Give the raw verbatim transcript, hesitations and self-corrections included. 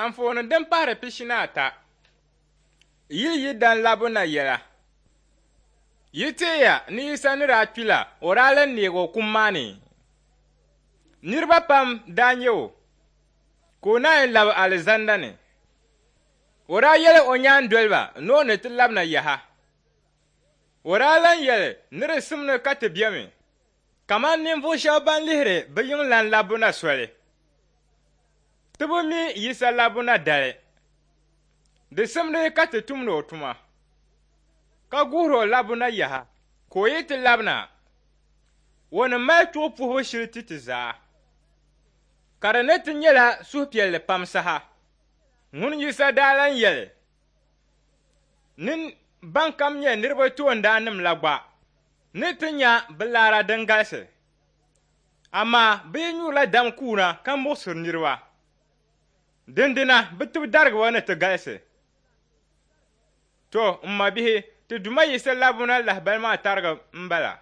Anfooni din pahiri pishi ni ata. Yili yi dan labu na yɛla. Yi teeya ni Yisa ni daa kpi la, o daa lan neegi o kum maa ni. Niriba pam daa nya o, ka o naan labi alizanda ni. O daa yɛli o nyaandoliba ni o ni ti labina yaha. O daa lan yɛli ni di simdi ka ti bemi kaman ninvuɣ shɛba ban lihiri bɛ yiŋlan labbu na soli. Ti bi mi Yisa labbu na dali. Di simdi ka ti tumdi o tuma, ka guhiri o labbu na yaha, ka o yi ti labina, o ni mali chuɣu puhibu shili ti ti zaa. Ka di ni ti nyɛla suhupiɛlli pam saha. Ŋun Yisa daa lan yɛli ni ban kam nyɛ niriba toondaannim la gba ni ti nya bɛ laara din galisi. Amaa bɛ yi nyurila dam kuuna ka muɣisiri niriba, dindina bɛ tibidarigibo ni ti galisi. To, m mabihi, ti Duuma Yisa labbu na lahibali maa tariga m-bala.